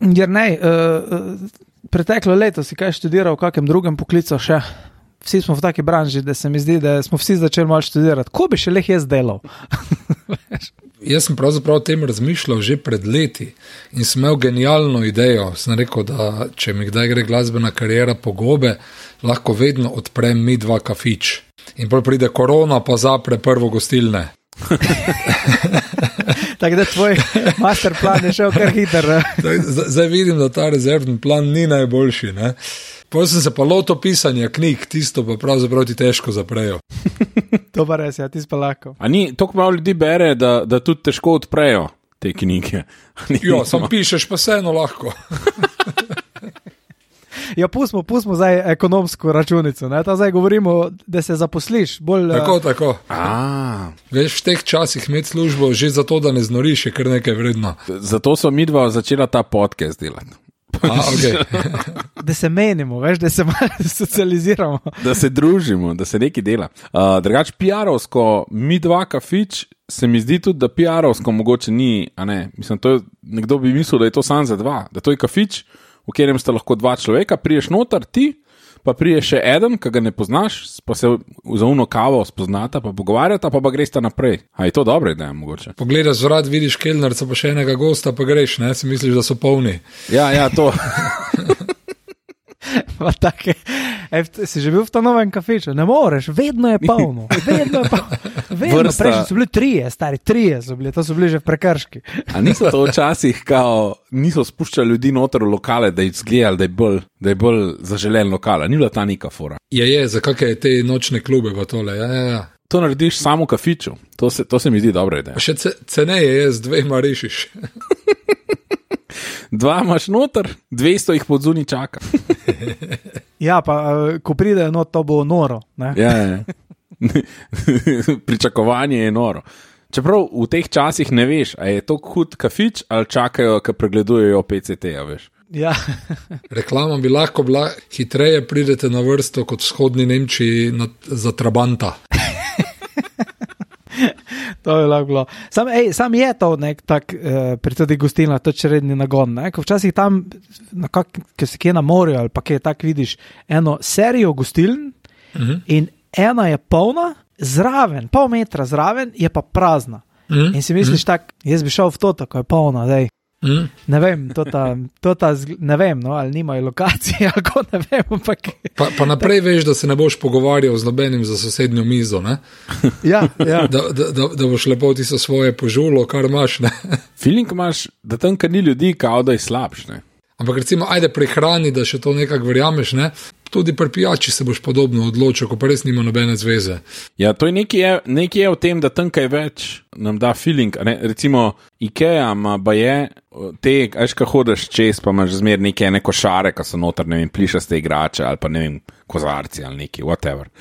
Jernej, preteklo leto si kaj študiral v kakem drugem poklicu še? Vsi smo v taki branži, da se mi zdi, da smo vsi začeli malo študirati. Ko bi še leh jaz delal? Jaz sem pravzaprav o tem razmišljal že pred leti in sem imel genialno idejo. Sem rekel, da če mi kdaj gre glasbena kariera po gobe, lahko vedno odprem mi 2 kafič. In potem pride korona, pa zapre prvo gostilne. Tako da tvoj master plan je šel kar hiter. Zdaj vidim, da ta rezervni plan ni najboljši. Ne? Potem sem se pa lotil pisanja knjig, tisto pa pravzaprav ti težko zaprejo. To pa res, ja, ti pa lahko. A ni, toliko malo ljudi bere, da tudi težko odprejo te knjige. Jo, sam pišeš pa vseeno lahko. Ja, pustimo zdaj ekonomsko računico, ne? Ta zdaj govorimo, da se zaposliš. Bolj, Tako. Veš, v teh časih imeti službo že zato, da ne znoriš, je kar nekaj vredno. Zato so midva začela ta podcast delati. Okay. Da se menimo, veš, da se malo socializiramo. Da se družimo, da se nekaj dela. Drugač, PR-ovsko, mi 2 kafič, se mi zdi tudi, da PR-ovsko mogoče ni, a ne, mislim, to je, nekdo bi mislil, da je to sam za 2, da to je kafič, v katerem sta lahko 2 človeka, priješ noter, ti, pa prije še eden, ki ga ne poznaš, pa se za uno kavo spoznata, pa pogovarjata, pa greš ta naprej. A je to dobro ideja, mogoče? Pogledaš zvrat, vidiš kelnerca, pa še enega gosta, pa greš, ne? Si misliš, da so polni. Ja, to. Pa take, si že bil v ta novem kafiču? Ne moreš, vedno je polno. Vedno, prejšnji so bili 3, stari 3 so bili, to so bili že v prekrški. A niso to včasih niso spuščali ljudi noter v lokale, da jih zgledali, da je bolj zaželen lokal, ni bila ta neka fora. Je, za kakšne te nočne klube pa tole, ja. To narediš samo v kafiču, to se mi zdi dobra ideja. Še ceneje je, z 2 rešiš. 2 imaš noter, 200 jih pod zunaj čaka. Ja, pa ko pridejo, no, to bo noro. Ne? Ja. Pričakovanje je noro. Čeprav v teh časih ne veš, a je to hud kafič ali čakajo, ko pregledujejo PCT-ja, veš. Ja. Reklama bi lahko bila, hitreje pridete na vrsto kot v vzhodni Nemčiji za Trabanta. To je lahko bilo. Sam je to nek tak pri tudi gostilna, to čredni nagon. Ne? Ko včasih tam, ko si kje na morju ali pa kje tak vidiš eno serijo gostiln in ena je polna, zraven, pol metra zraven je pa prazna. In si misliš tak, jaz bi šel v to, tako je polna, dej. Ne vem, ne vem, no, ali nimajo lokacije, ali ko ne vem, ampak... Pa naprej veš, da se ne boš pogovarjal z nobenim za sosednjo mizo, ne? Ja. Da boš lepo tisto svoje požulo, kar imaš, ne? Feeling imaš, da tam, kar ni ljudi, kao da je slabš, ne? Ampak recimo, ajde pri hrani, da še to nekako verjameš, ne? Tudi pri pijači se boš podobno odločil, ko pa res nima nobene zveze. Ja, to je nekaj je v tem, da tam kaj več nam da feeling, ne? Recimo Ikea ima baje, te, ajš, ko hodiš čez, pa imaš zmer neke košare, ko so noter, ne vem, plišaste igrače, ali pa ne vem, kozarci ali neki, whatever.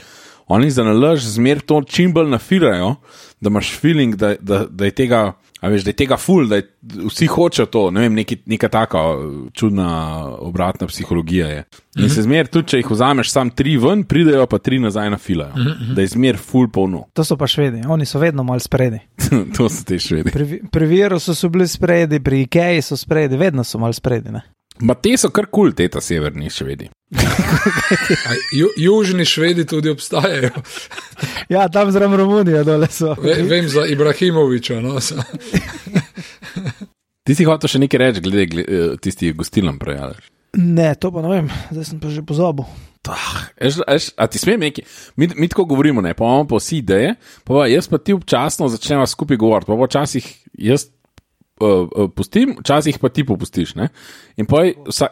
Oni za nalaž zmer to čim bolj nafirajo, da imaš feeling, da je tega, a veš, da je tega ful, da vsi hočejo to, ne vem, neka taka čudna obratna psihologija je. In se zmer, tudi če jih vzameš sam 3 ven, pridejo pa 3 nazaj na filajo. Da je zmer ful polno. To so pa Švedi, oni so vedno malo spredi. To so te Švedi. Pri Virusu so bili spredi, pri Ikeji so spredi, vedno so malo spredi, ne? Ma te so kar kul, te ta severni Švedi. Južni Švedi tudi obstajajo. Ja, tam zraven Romunije dole so. Vem za Ibrahimoviča, no. Ti si hotel še nekaj reči, glede tisti gostilnom prejalaš? Ne, to pa ne vem, zdaj sem pa že pozabil. A ti smem nekaj? Mi tako govorimo, ne, pa imamo pa vsi ideje, pa jaz pa ti občasno začneva skupaj govoriti, pa včasih jaz pustim, včasih pa ti popustiš, ne? In pa,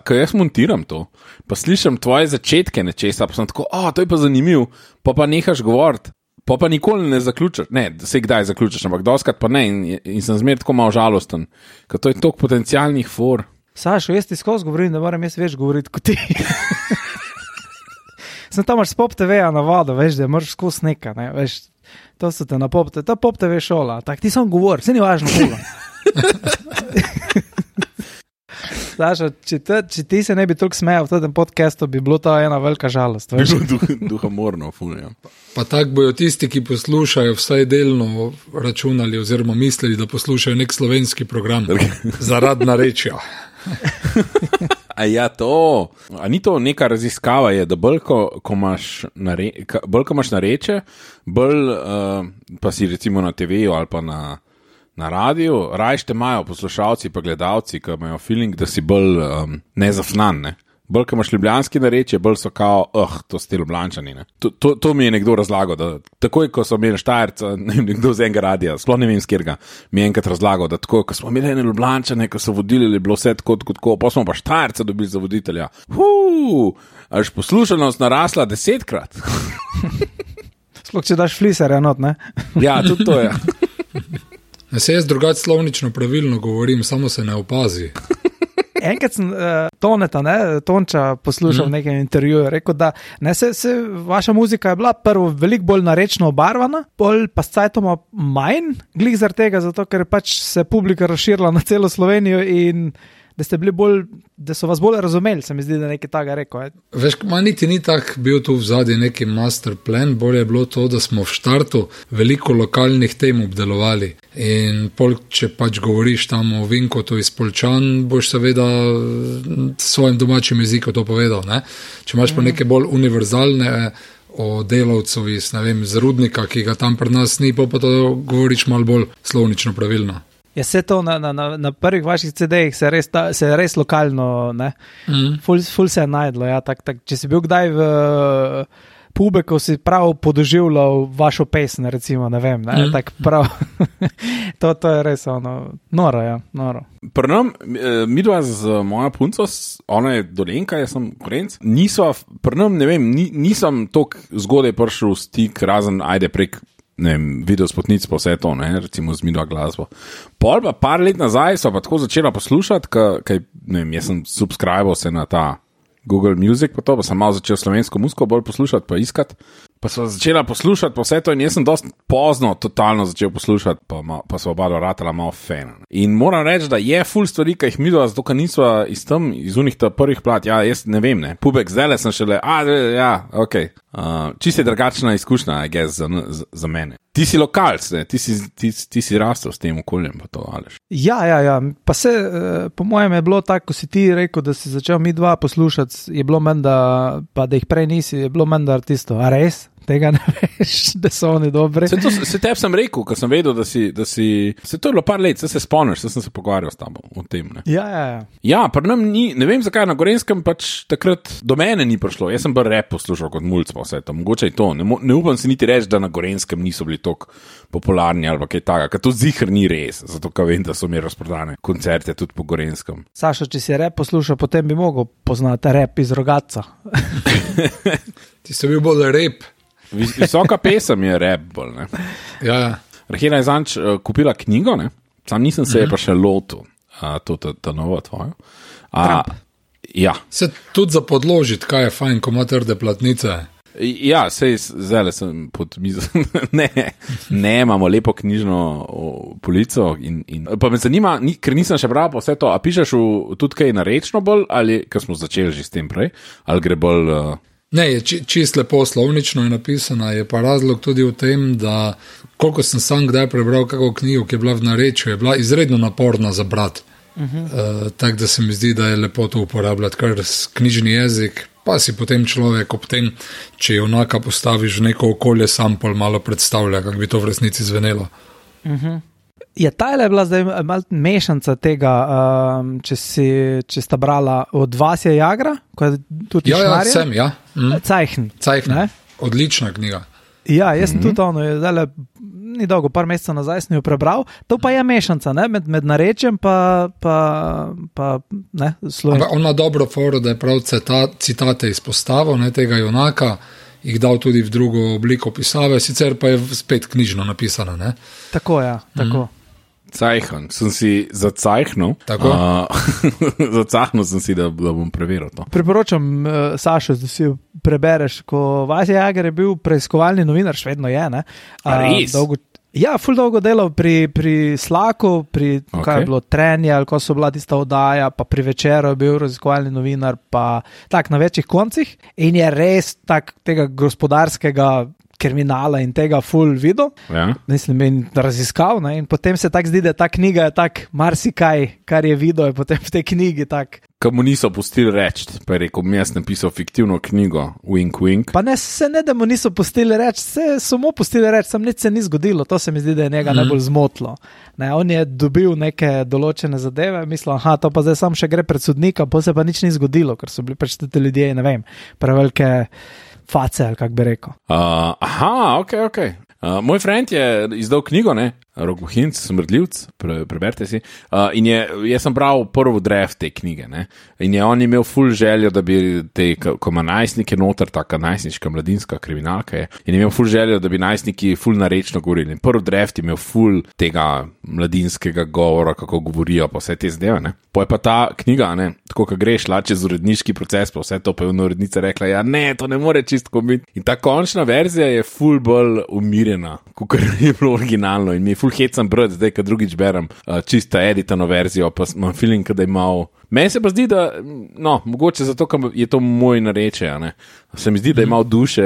ko jaz montiram to, pa slišam tvoje začetke nečesa, pa sem tako, to je pa zanimiv, pa nehaš govoriti, pa nikoli ne zaključaš, ne, se kdaj zaključaš, ampak doskrat pa ne, in sem zmer tako malo žalosten, ker to je toliko potencialnih for. Sašo, jaz ti skozi govorim, da moram jaz več govoriti kot ti. Sem tam imaš s Pop TV-ja navado, veš, da moraš skozi nekaj, ne, veš, to so te na Pop TV, ta Pop TV šola, tak ti sam govor, vse ni važno koga. Saša, če ti se ne bi toliko smejal v tem podcastu, bi bilo to ena velika žalost. Duhamorno, funja. Pa tako bojo tisti, ki poslušajo, vsaj delno računali oziroma mislili, da poslušajo nek slovenski program zaradi narečja. A ja, to. A ni to neka raziskava, je, da bolj, ko imaš nareče, bolj pa si recimo na TV-ju ali pa na radiju, rajš te imajo poslušalci pa gledalci, ki imajo feeling, da si bolj nezafnan, ne? Bolj, ko imaš ljubljanski narečje, bolj so kao, to ste Ljubljančani, ne? To mi je nekdo razlagal, da takoj, ko so imeli Štajerca, nekdo z enega radija, sploh ne vem s kjerga, mi je enkrat razlagal, da takoj, ko smo imeli ene Ljubljančane, ko so vodili, je bilo vse tako, pa smo pa Štajerca dobili za voditelja. Až poslušanost narasla 10-krat. Sploh, če daš fliser, enot, ne? Ja, tudi to je. Se jaz drugače slovnično pravilno govorim, samo se ne opazi. Enkrat sem Tonča poslušal v nekem intervjuju, rekel, da vaša muzika je bila prvo veliko bolj narečno obarvana, bolj pa s cajtoma manj, glih zaradi tega, zato ker pač se publika razširila na celo Slovenijo in da ste bili bolj, da so vas bolj razumeli, se mi zdi, da nekaj takega rekel. Veš, niti ni tak bil tu vzadje neki master plan, bolje je bilo to, da smo v štartu veliko lokalnih tem obdelovali in če pač govoriš tam o Vinkotu iz Poljčan, boš seveda svojim domačim jezikom to povedal, ne? Če imaš pa neke bolj univerzalne o delavcu iz, ne vem, z Rudnika, ki ga tam pri nas ni, pa to govoriš malo bolj slovnično pravilno. Ja, vse to na prvih vaših CD-jih se je res lokalno, ne? Ful se je najdlo, ja, če si bil kdaj v pube, ko si prav podoživljal vašo pesem, recimo, ne vem, ne, tak prav, to je res noro, ja, noro. Pri nam, midva z moja punco, ona je Dolenjka, jaz sem Gorenc, pri nam, ne vem, nisem toliko zgodaj prišel v stik, razen ajde prek video spotnic pa vse to, ne, recimo z midva glasbo. Pol pa par let nazaj so pa tako začela poslušati, kaj, ne vem, jaz sem subscribal se na ta Google Music, pa sem malo začel slovensko muziko bolj poslušati, pa iskati, pa so začela poslušati pa vse to in jaz sem dosti pozno totalno začel poslušati, pa so oba ratala malo fena. In moram reči, da je ful stvari, ki jih midva, zato ka nisva iz unih ta prvih plat, ja, jaz ne vem, ne, Pubek zdajle sem šele, ja, okej. Čisto je drugačna izkušnja, I guess, za mene. Ti si lokalc, ne? Ti si rastel s tem okoljem, pa to, Aleš. Ja, pa se, po mojem je bilo tako, ko si ti rekel, da si začel midva poslušati, je bilo menda, pa da jih prej nisi, je bilo menda artistov, a res? Tega ne veš, da so oni dobri. Se tebi sem rekel, ko sem vedel, da si se to je bilo par let, se spomniš, sem se pogovarjal s tabo o tem, ne? Ja. Ja, pri nam ni, ne vem zakaj, na Gorenskem pač takrat do mene ni prišlo, jaz sem bil rap poslušal kot mulc pa vse to, mogoče je to, ne upam si niti reči, da na Gorenskem niso bili toliko popularni ali pa kaj takega, ker to ziher ni res, zato ka vem, da so mi razprodane koncerte tudi po Gorenskem. Sašo, če si rap poslušal, potem bi mogel poznati rap iz Rogatca. Ti si bil bolj rap. Visoka pesem je rap bolj, ne. Ja. Rahela je zanč kupila knjigo, ne. Sam nisem se je pa še lotil, ta novo tvojo. Ja. Se tudi za podložiti, kaj je fajn, ko ima trde platnice. Ja, sej zdaj sem pod mizo. Ne, imamo lepo knjižno polico in pa me zanima, ker nisem še bral pa vse to, a pišeš tudi kaj narečno bolj, ali, ker smo začeli že s tem prej, ali gre bolj... Ne, je čist lepo slovnično je napisana, je pa razlog tudi v tem, da koliko sem sam kdaj prebral kako knjigo, ki je bila v narečju, je bila izredno naporna za brat. Tako da se mi zdi, da je lepo to uporabljati, kar knjižni jezik, pa si potem človek ob tem, če junaka postaviš v neko okolje, sam pol malo predstavlja, kako bi to v resnici zvenelo. Je tajle bila zdaj malo mešanca tega, če sta brala od Vasja Jagra, ko je tudi Šnarja? Ja, sem, ja. Cajhn. Odlična knjiga. Ja, jaz sem tudi zdaj ni dolgo, par mesecev nazaj sem jo prebral, to pa je mešanca, ne, med narečjem pa ne, slovensko. Ona dobro foro, da je prav citate izpostavil, ne, tega junaka, jih dal tudi v drugo obliko pisave, sicer pa je spet knjižno napisana, ne. Tako, ja, tako. Cajhn, sem si zacajhnul. Tako? Zacajhnul sem si, da bom preveril to. Priporočam, Sašo, da si jo prebereš, ko Vasja Jager je bil preiskovalni novinar, še vedno je, ne? Res? Ja, ful dolgo delal pri Slacku, kaj je bilo Trenje, ali ko so bila tista oddaja, pa pri Večeru je bil raziskovalni novinar, pa tak na večjih koncih in je res tak tega gospodarskega kriminala in tega ful videl, mislim, in raziskal, ne? In potem se tak zdi, da ta knjiga je tak marsikaj, kar je videl, je potem v tej knjigi tak. Kam mu niso pustili reči, pa je rekel, jaz napisal fiktivno knjigo, wink, wink. Pa ne, da mu niso pustili reči, so mu pustili reči, sam nič se ni zgodilo, to se mi zdi, da je njega najbolj zmotilo. Ne, on je dobil neke določene zadeve, mislil, to pa zdaj sam še gre pred sodnika, pa se pa nič ni zgodilo, ker so bili pač te ljudje, ne vem, prevelike face, ali kak bi rekel. Ok. Moj friend je izdal knjigo, Rok Bohinc, Smrdljivc, preberite si. In jaz sem bral prvo draft te knjige, in je on imel ful željo, da bi ko ima najstnike noter, taka najstniška mladinska kriminalka je, in je imel ful željo, da bi najstniki ful narečno govorili. In prvi draft je imel ful tega mladinskega govora, kako govorijo, pa vse te zadeve, Po je pa ta knjiga, tako, ko greš čez uredniški proces, pa vse to pa je urednica rekla, to ne more čisto biti. In ta končna verzija je ful bolj umirjena, kot je bilo originalno, in mi je ful hecam brati, zdaj, ko drugič berem čista editano verzijo, pa imam feeling, da je malo. Meni se pa zdi, da, mogoče zato, ker je to moj nareče, se mi zdi, da je malo duše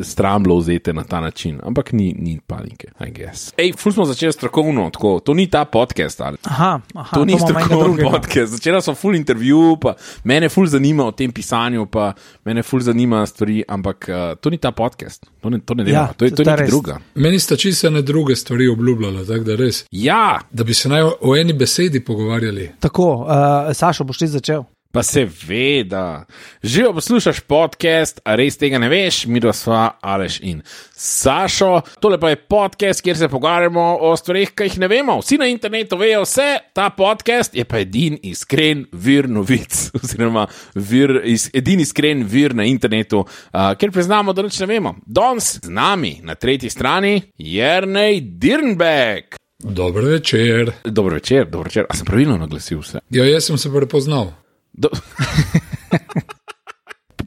stramblo vzete na ta način, ampak ni panike, I guess. Ful smo začeli strokovno, tako, to ni ta podcast, ali? Aha, to ni strokovno podcast, začela sem ful intervju, pa mene ful zanima o tem pisanju, pa mene ful zanima stvari, ampak to ni ta podcast, to ne dela, to je nekaj druga. Meni sta čisto ene druge stvari obljubljala, tako da res. Ja. Da bi se naj o eni besedi pogovarjali. Tako, Sašo, boš ti začel? Pa seveda. Živo poslušaš podcast, a res tega ne veš, mi dva sva Aleš in Sašo. Tole pa je podcast, kjer se pogovarjamo o stvarih, ki jih ne vemo. Vsi na internetu vejo vse, ta podcast je pa edin iskren vir novic, oziroma edin iskren vir na internetu, kjer priznamo, da nič ne vemo. Danes z nami na tretji strani Jernej Dirnbek. Dober večer. Dober večer. A sem pravilno naglasil vse? Ja, jaz sem se prepoznal.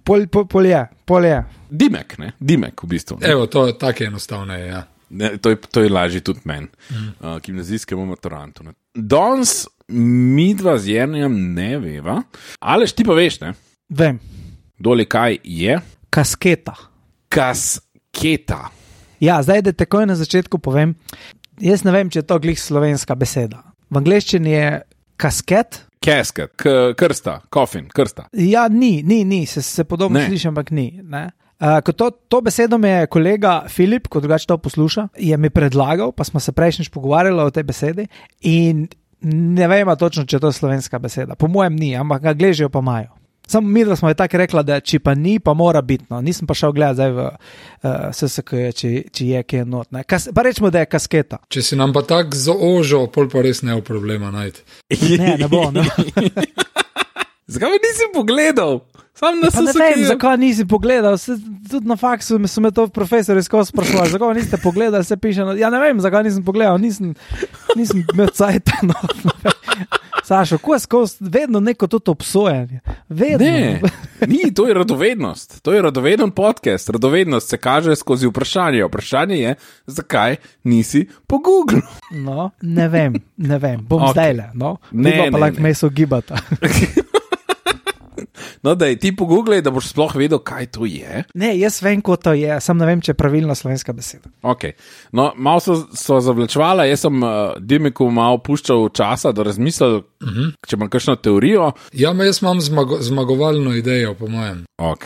Pol je. Dimek, v bistvu. Evo, to je tako enostavno, ja. To je lažje tudi meni, gimnazijskemu maturantu. Danes mi dva z Jernejem ne veva, Aleš, ti pa veš, ne? Vem. Doli kaj je? Kasketa. Ja, zdaj, da takoj na začetku povem, jaz ne vem, če je to glih slovenska beseda. V angleščini je kasket. Casket, krsta, coffin, krsta. Ja, ni, se podobno sliši, ampak ni. To besedo mi je kolega Filip, ko drugače to posluša, je mi predlagal, pa smo se prejšnjič pogovarjali o tej besedi in ne vem točno, če je to slovenska beseda. Po mojem ni, ampak angleščijo pa imajo. Samo mi, da smo je tako rekla, da če pa ni, pa mora biti. Nisem pa šel gledati zdaj v SSK, če je kaj not. Pa rečemo, da je kasketa. Če si nam pa tak zaožil, pol pa res ne bo problema najti. Ne bo. Zakaj me nisi pogledal? Sam na SSK. Ne vem, zakaj nisi pogledal. Tudi na faksu so me to profesori skozi sprašovali. Zakaj niste pogledali, se piše. Ja ne vem, zakaj nisem pogledal. Nisem imel cajta. Sašo, ko je skozi vedno neko tudi obsojanje? Vedno. Ne, to je radovednost. To je radoveden podcast. Radovednost se kaže skozi vprašanje. Vprašanje je, zakaj nisi po Google. No, ne vem. Bom zdajle. Ne, pa lahko me so gibata. No, da ti pogooglej, da boš sploh vedel, kaj to je. Ne, jaz vem, ko to je, sam ne vem, če je pravilna slovenska beseda. Ok, no, malo so zavlečevala, jaz sem Dimeku malo puščal časa, da razmislil, če imam kakšno teorijo. Ja, jaz imam zmagovalno idejo, po mojem. Ok.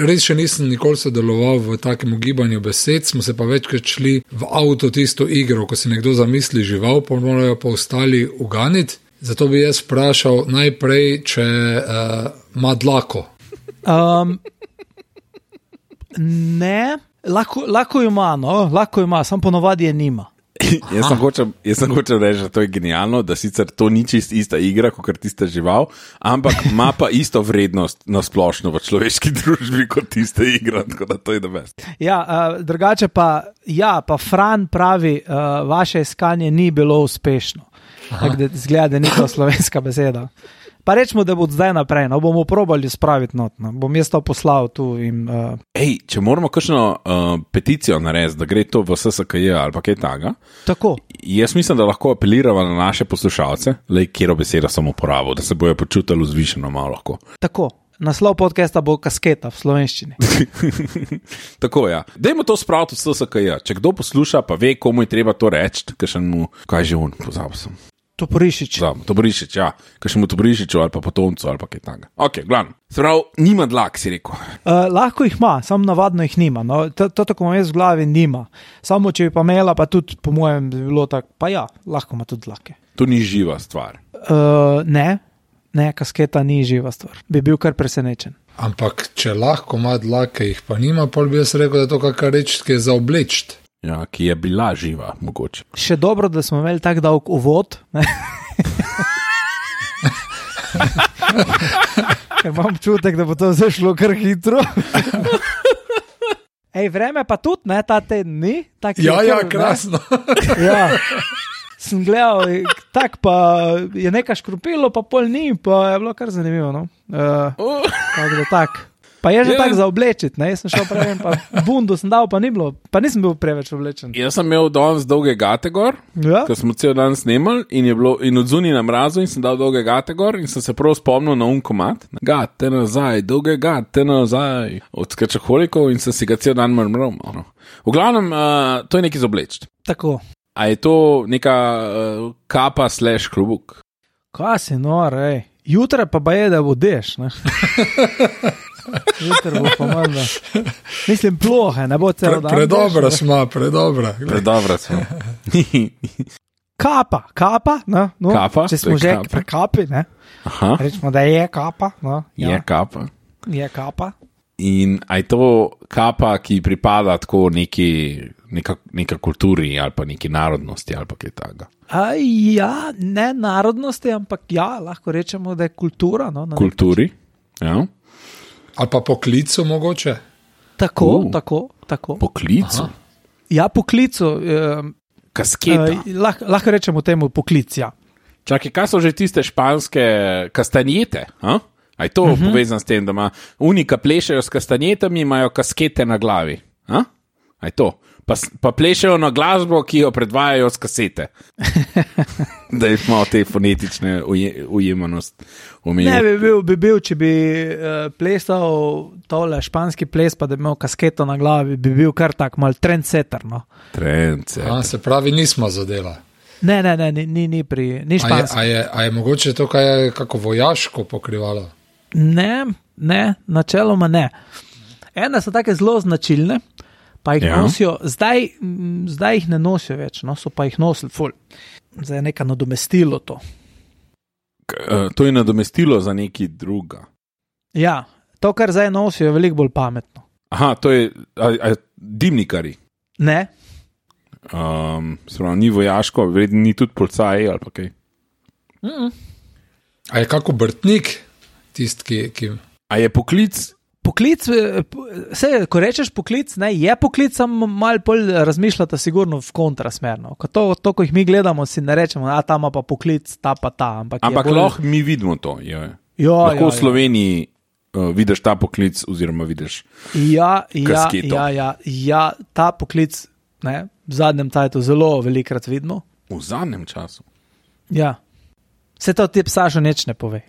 Res še nisem nikoli sodeloval v takem gibanju besed, smo se pa večkrat šli v avto tisto igro, ko si nekdo zamisli žival, pa morajo pa ostali uganiti. Zato bi jaz vprašal najprej, če ima dlako. Ne, lahko ima, sam ponovadi je nima. Jaz sem hočel reči, da to je genialno, da sicer to ni čist ista igra, kot tista žival, ampak ima pa isto vrednost na splošno v človeški družbi kot tista igra, tako da to je the best. Ja, drugače pa Fran pravi, vaše iskanje ni bilo uspešno. Tako da zgleda, da ni to slovenska beseda. Pa rečemo, da bo zdaj naprej, no, bomo probali spraviti not, no. Bom jaz to poslal tu in... Ej, če moramo kakšno peticijo narediti, da gre to v SSKJ ali pa kaj takega, Tako. jaz mislim, da lahko apeliramo na naše poslušalce, kjero beseda sem uporabil, da se bojo počutili vzvišeno malo lahko. Tako. Naslov podcasta bo Kasketa v slovenščini. Tako, ja. Dajmo to spraviti v SSKJ. Če kdo posluša, pa ve, komu je treba to reči, kakšnemu, kaj že on, pozabil sem. Toporišič. Toporišič, ja. Kakšnemu Toporišiču ali pa potomcu ali pa kaj takega. Ok, glavno. Sprav, nima dlak, si rekel. Lahko jih ima, samo navadno jih nima. No. To tako imam jaz v glavi, nima. Samo če bi pa imela, pa tudi po mojem bi bilo tako, pa ja, lahko ima tudi dlake. To ni živa stvar. Ne, kasketa ni živa stvar. Bi bil kar presenečen. Ampak, če lahko ima dlake, jih pa nima, pol bi jaz rekel, da je to kakšna reč, ki je za oblečt. Ja, ki je bila živa, mogoče. Še dobro, da smo imeli tak dolg uvod. Imam čutek, da bo to zašlo kar hitro. Ej, vreme pa tudi, ne, ta teden ni. Ja, krasno. Ja. Sem gledal, tak pa je nekaj škropilo, pa pol ni, pa je bilo kar zanimivo, no. Tako da tak. Pa je že tako za oblečiti, ne, jaz sem šel prej, pa bundu sem dal, pa ni bilo, pa nisem bil preveč oblečen. Jaz sem imel danes dolge gate gor, ko smo cel dan snemali in od zunaj na mrazu in sem dal dolge gate gor in sem se prav spomnil na unkomat. Gate nazaj, dolge gate nazaj, od skačaholikov in sem si ga cel dan mrmral. No. V glavnem, to je nekaj za obleči. Tako. A je to neka kapa / klobuk? Kaj si nor, ej. Jutra pa je, da bodeš, ne. Jutra bo pa manj, mislim, plohe, ne bo celo dan. Predobra smo, predobra. Predobra smo. Kapa, no, kapa, če smo že pri kapi, ne. Aha. Rečemo, da je kapa, no. Ja. Je kapa. In a je to kapa, ki pripada tako neka kulturi ali pa neki narodnosti ali pa kaj takega? Ja, ne narodnosti, ampak ja, lahko rečemo, da je kultura. No, kulturi, ja. Ali pa poklicu mogoče? Tako. Poklicu? Aha. Ja, poklicu. Kasketa. Lahko rečemo temu poklic, ja. Čakaj, kaj so že tiste španske kastanjete? A je to povezano s tem, da ima unika plešajo s kastanjetami, imajo kaskete na glavi? A je to? Pa plešajo na glasbo, ki jo predvajajo s kasete. Da je malo te fonetične ujemanost umil. Ne, bi bil, če bi plesal tole španski ples, pa da bi imel kasketo na glavi, bi bil kar tak mal trendsetter, no. Trendsetter. Se pravi, nismo zadela. Ne, ni španski. A je mogoče to kaj kako vojaško pokrivalo? Ne, načeloma ne. Ene so take zelo značilne, pa jih nosijo, zdaj jih ne nosijo več, no, so pa jih nosili ful. Zdaj je neka nadomestilo to. To je nadomestilo za neki druga. Ja, to, kar zdaj nosijo, je veliko bolj pametno. Aha, to je dimnikari. Ne. Ni vojaško, verjetno ni tudi policaji ali pa kaj. A je kako obrtnik tisti, ki... A je poklic? Poklic, ko rečeš poklic, ne, je poklic, samo malo bolj razmišljata sigurno v kontrasmerno. To, ko jih mi gledamo, si ne rečemo, ta ima pa poklic, ta pa ta. Ampak lahko mi vidimo to. Lahko v Sloveniji vidiš ta poklic oziroma vidiš kasketo. Ja, ta poklic, ne, v zadnjem času zelo velikrat vidimo. V zadnjem času? Ja. Vse to ti Sašo nič ne pove.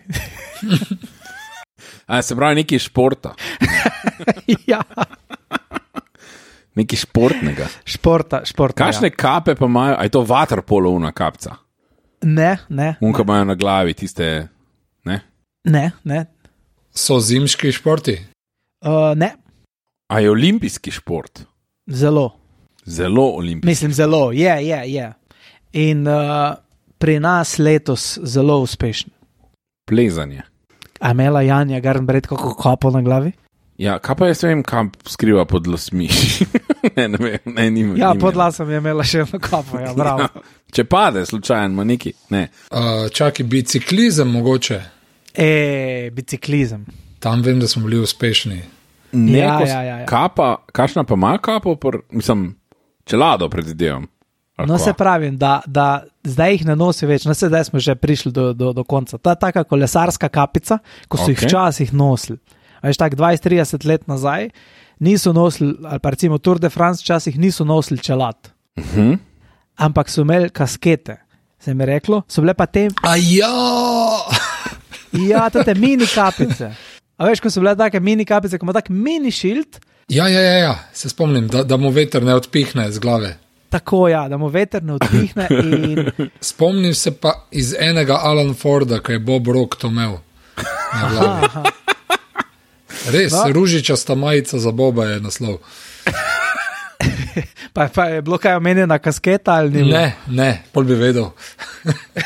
Se pravi, nekaj športa. Ja. Nekaj športnega. Športa. Kakšne kape pa imajo? A je to vaterpolovna kapca? Ne. Unka imajo na glavi tiste, ne? Ne. So zimski športi? Ne. A je olimpijski šport? Zelo olimpijski. Mislim, zelo, je. In pri nas letos zelo uspešen. Plezanje. A imela Janja Garnbret kako kapo na glavi? Ja, kaj pa jaz vem, kam skriva pod lasmi? ne vem. Ja, pod lasom je imela še eno kapo, ja, bravo. Ja, če pade, slučajno, ima neki, ne. Čaki, biciklizem mogoče? Biciklizem. Tam vem, da smo bili uspešni. Ja. Kapa, kakšna pa ima kapo? Mislim, čelado predvidevam. No, se pravim, da zdaj jih ne nosi več, no, zdaj smo že prišli do konca. Ta taka kolesarska kapica, ko so jih včasih nosili, veš, tak 20-30 let nazaj, niso nosili, ali pa recimo Tour de France včasih niso nosili čelad, ampak so imeli kaskete, se mi reklo, so bile pa te... Ja, te mini kapice. A veš, ko so bile take mini kapice, ko ima tak mini šilt. Ja, se spomnim, da mu veter ne odpihne z glave. Tako, ja, da mu veter ne odpihne in... Spomnim se pa iz enega Alan Forda, ko je Bob Rock to imel na glavi. Res, no. Ružičasta majica za Boba je naslov. Pa je bilo kaj omenjena kasketa ali ni? Ne, pol bi vedel.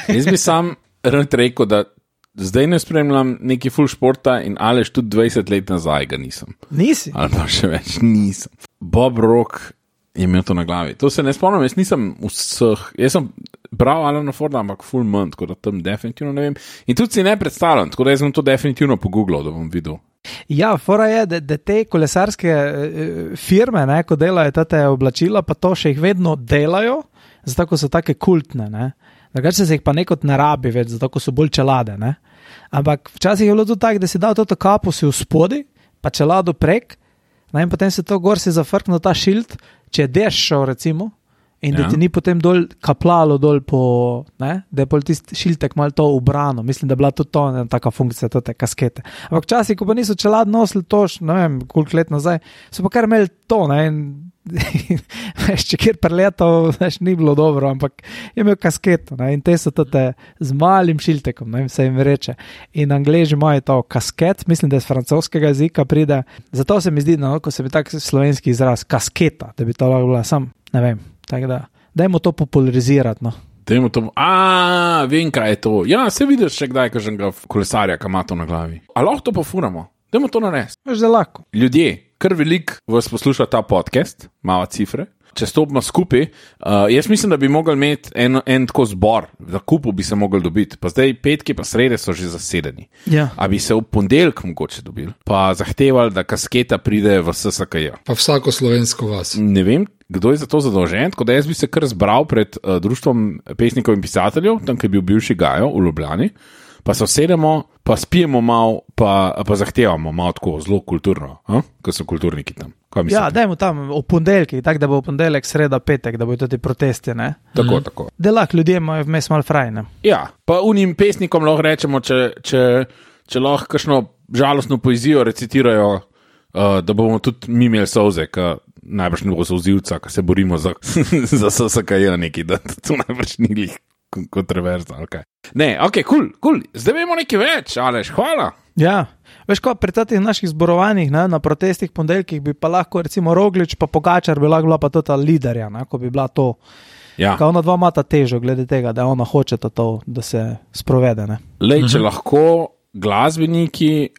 Jaz bi sam rad rekel, da zdaj ne spremljam neki full športa in Aleš tudi 20 let nazaj ga nisem. Nisi? Ali pa še več nisem. Bob Rock je imel to na glavi. To se ne spomnim, jaz nisem vseh, jaz sem bral Alana Forda, ampak full manj, tako da tam definitivno ne vem. In tudi si ne predstavljam, tako da jaz sem to definitivno pogooglal, da bom videl. Ja, fora je, da te kolesarske firme, ne, ko delajo te oblačila, pa to še jih vedno delajo, zato ko so take kultne, ne. Drugače se jih pa nekot ne rabi več, zato ko so bolj čelade, ne. Ampak včasih je bilo tudi tako, da si dal to kapo si v spodi, pa čelado prek, ne, in potem se to gor si zafrknil ta šilt, če je dež šel recimo, in da ti ni potem dol kaplalo dol po, ne, da je pol tisti šiltek malo to ubrano. Mislim, da je bila tudi to taka funkcija, te kaskete. Ampak včasih, ko pa niso čelad nosili to, ne vem, koliko let nazaj, so pa kar imeli to, ne, in veš, če kjer preleto, veš, ni bilo dobro, ampak je imel kasketo, ne, in te so te z malim šiltekom, ne, se jim reče. In Angleži imajo to kasket, mislim, da iz francoskega jezika pride, zato se mi zdi, no, ko se bi tak slovenski izraz, kasketa, da bi to lahko bila sam, ne vem. Tako da, dajmo to popularizirati, no. Dajmo to, vem, kaj je to. Ja, se vidiš še kdaj, kaženega kolesarja, ki ima to na glavi. A lahko to pofuramo? Dajmo to narediti. Veš, da lahko. Ljudje, kar veliko vas posluša ta podcast, malo cifre, če stopimo skupaj, jaz mislim, da bi mogli imeti en tako zbor, za kupu bi se mogli dobiti, pa zdaj petki pa srede so že zasedeni. Ja. A bi se v ponedeljek mogoče dobili, pa zahtevali, da kasketa pride v SSKJ. Pa vsako slovensko vas. Ne vem, kdo je za to zadolžen, tako da jaz bi se kar zbral pred društvom pesnikov in pisateljev, tam, ki je bil bivši Gajo v Ljubljani, pa se usedemo, pa spijemo malo, pa zahtevamo malo tako zelo kulturno, ko so kulturniki tam. Ja, dajmo tam v ponedeljki, tako da bo v ponedeljek, sreda, petek, da bojo tudi protesti, ne? Tako. Da lahko ljudje imajo vmes malo fraj, ne? Ja, pa unim pesnikom lahko rečemo, če lahko kakšno žalostno poezijo recitirajo, da bomo tudi mi imeli solze, ki najbrž ne bo solzivca, ki se borimo za SSKJ neki, da to najbrž ni glih kontroverza, ali kaj. Ne, ok, cool. Zdaj vemo nekaj več, Aleš, hvala. Ja, veš ko, pri teh naših zborovanjih, ne, na protestih ponedeljkih bi pa lahko recimo Roglič pa Pogačar bi lahko bila pa tota liderja, ne, ko bi bila to, ka ona dva imata težo glede tega, da ona hoče to, da se sprovede, ne. Lej, če lahko glasbeniki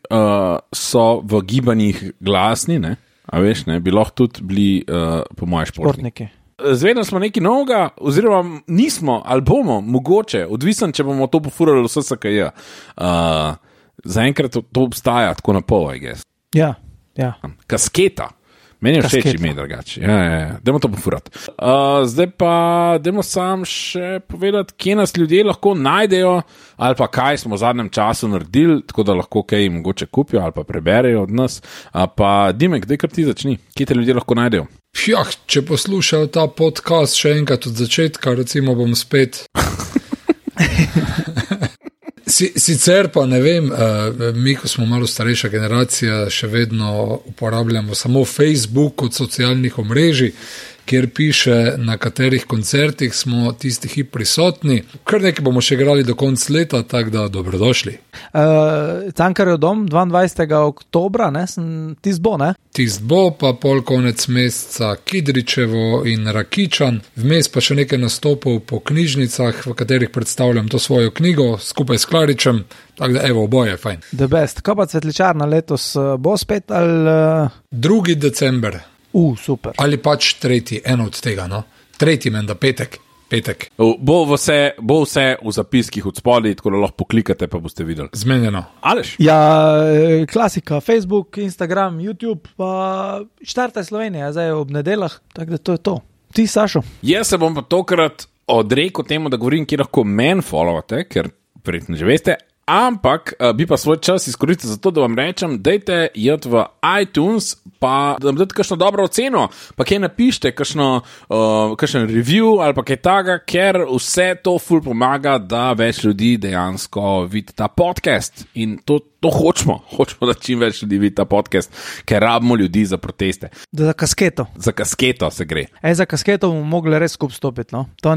so v gibanjih glasni, ne, a veš, ne, bi lahko tudi bili po moje športniki. Zvedno smo nekaj novega, oziroma nismo, ali bomo, mogoče, odvisen, če bomo to pofurali v SSKJ. Zaenkrat to obstaja tako na pol, I guess. Ja. Kasketa. Meni je všeč ime drugače. Ja. Dajmo to pofurati. Zdaj pa dajmo sam še povedati, kje nas ljudje lahko najdejo, ali pa kaj smo v zadnjem času naredili, tako da lahko kaj mogoče kupijo ali pa preberejo od nas. Pa Dimek, daj kar ti začni. Kje te ljudje lahko najdejo? Ja, če poslušajo ta podcast še enkrat od začetka, recimo bom spet... Sicer pa ne vem, mi, ko smo malo starejša generacija, še vedno uporabljamo samo Facebook kot socialnih omrežij, kjer piše, na katerih koncertih smo tisti hip prisotni. Kar nekaj bomo še igrali do konca leta, tako da dobrodošli. Cankarjev dom, 22. oktobra, ne? Tist bo, ne? Tist bo, pa pol konec meseca Kidričevo in Rakičan, vmes pa še nekaj nastopov po knjižnicah, v katerih predstavljam to svojo knjigo, skupaj s Klaričem, tako da evo, oboje, fajn. The best. Kaj pa Cvetličarna letos bo spet, ali... 2. december. Super. Ali pač 3., eno od tega, no? 3. menda, petek. Bo vse v zapiskih od spodaj, tako da lahko poklikate, pa boste videli. Zmenjeno. Aleš? Ja, klasika, Facebook, Instagram, YouTube, pa Štartaj Slovenija, zdaj ob nedeljah, tako da to je to. Ti, Sašo? Jaz se bom pa tokrat odrekel temu, da govorim, kje lahko men followate, ker verjetno že veste, ampak bi pa svoj čas izkoristil za to, da vam rečem, dajte jeti v iTunes, pa da vam date kakšno dobro oceno, pa kaj napišite, kakšen review ali pa kaj taga, ker vse to ful pomaga, da več ljudi dejansko vidi ta podcast. In to hočemo, da čim več ljudi vidi ta podcast, ker rabimo ljudi za proteste. Za kasketo. Za kasketo se gre. Za kasketo bomo mogli res skup stopiti, no? To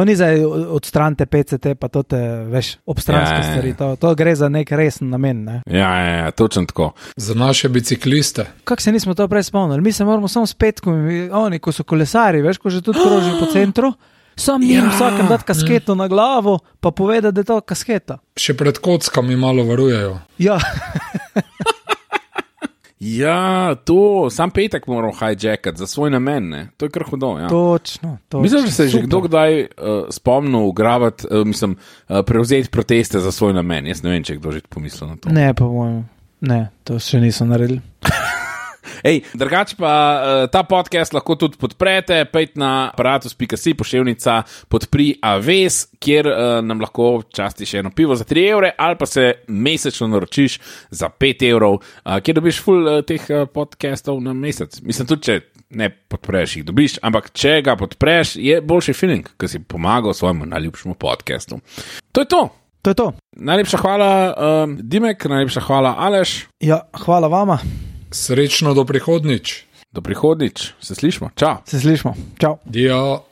ni zdaj odstranite PCT, pa to te veš obstranske stvari. To gre za nek resen namen, ne? Ja, točno tako. Za naše bicikliste. Kako se nismo to prej spomnili? Mi se moramo samo s petkom, oni, ko so kolesari, veš, ko že tudi krožijo po centru, sam njim vsakem dati kasketo na glavo, pa povedati, da je to kasketa. Še pred kockami malo varujejo. Ja. Ja, to, sam petek moram hijackati za svoj namen, ne? To je kar hudo, ja. Točno. Mislim, da se je že kdo kdaj spomnil ugravati, prevzeti proteste za svoj namen. Jaz ne vem, če je kdo že pomislil na to. Ne, pa mojemu. Ne, to še niso naredili. Drugače pa ta podcast lahko tudi podprete, pejte na aparatus.si, poševnica podpri Aves, kjer nam lahko časti še eno pivo za 3 evre, ali pa se mesečno naročiš za 5 evrov, kjer dobiš ful teh podcastov na mesec. Mislim tudi, če ne podpreš, jih dobiš, ampak če ga podpreš, je boljši feeling, ker si pomagal svojemu najljubšemu podcastu. To je to. To je to. Najlepša hvala, Dimek, najlepša hvala, Aleš. Ja, hvala vama. Srečno do prihodnič. Do prihodnič, se slišmo, čau. Se slišmo, čau. Dio.